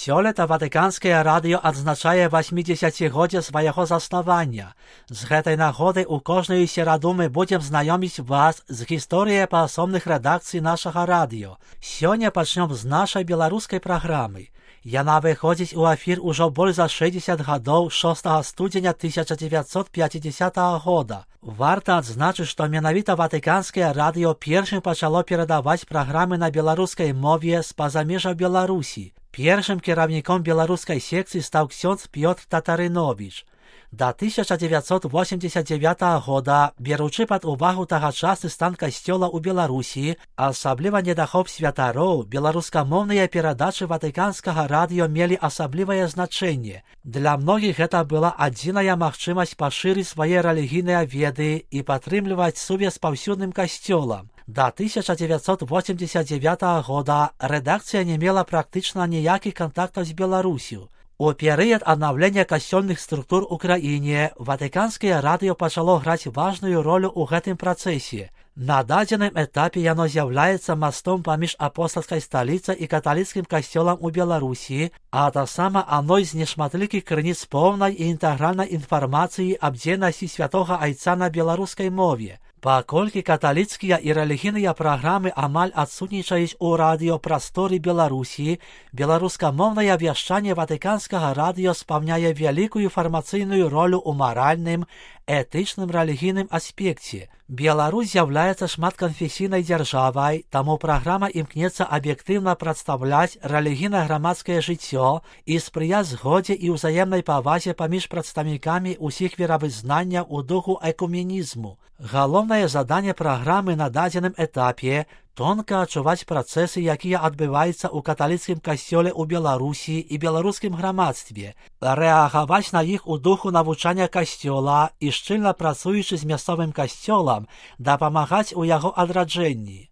Сёлета Ватыканскае радыё адзначае 80годдзе свайго заснавання. З гэтай нагоды ў кожную сераду мы будзем знаёміць вас з гісторыяй паасобных рэдакцый нашага радыё. Сёння пачнём з нашай беларускай праграмы. Яна выходзіць у эфір ужо больш за 60 гадоў 6 студзеня 1950 года. Варта адзначыць, што менавіта Ватыканскае радыё першым пачало перадаваць праграмы на беларускай мове з-па-за межаў Беларусі. Першым кіраўніком беларускай секцыі стаў ксёндз Пётр Татарыновіч. Да 1989 года, беручы пад увагу тагачасны стан касцёла ў Беларусі, асабліва недахоп святароў, беларускамоўныя перадачы Ватыканскага радыё мелі асаблівае значэнне. Для многіх гэта была адзіная магчымасць пашырыць свае рэлігійныя веды і падтрымліваць сувязь з паўсюдным касцёлам. Да 1989 года рэдакцыя не мела практычна ніякіх кантактаў з Беларусю. У перыяд аднаўлення касцёльных структур у краіне Ватыканскае радыё пачало граць важную ролю ў гэтым працэсе. На дадзеным этапе яно з'яўляецца мастом паміж апостальскай сталіцай і каталіцкім касцёлам у Беларусі, а таксама адной з нешматлікіх крыніц поўнай і інтэгральнай інфармацыі аб дзейнасці святога айца на беларускай мове. Паколькі каталіцкія і рэлігійныя праграмы амаль адсутнічаюць у радыёпрасторы Беларусі, беларускамоўнае вяшчанне Ватыканскага радыё спаўняе вялікую інфармацыйную ролю ў маральным, этычным рэлігійным аспекце. Беларусь з'яўляецца шматканфесійнай дзяржавай, таму праграма імкнецца аб'ектыўна прадстаўляць рэлігійна-грамадскае жыццё і спрыяць згодзе і ўзаемнай павазе паміж прадстаўнікамі ўсіх веравызнанняў у духу экуменізму. Галоўнае заданне праграмы на дадзеным этапе тонка адчуваць працэсы, якія адбываюцца ў каталіцкім касцёле ў Беларусі і беларускім грамадстве, рэагаваць на іх у духу навучання касцёла і шчыльна працуючы з мясцовым касцёлам, дапамагаць у яго адраджэнні.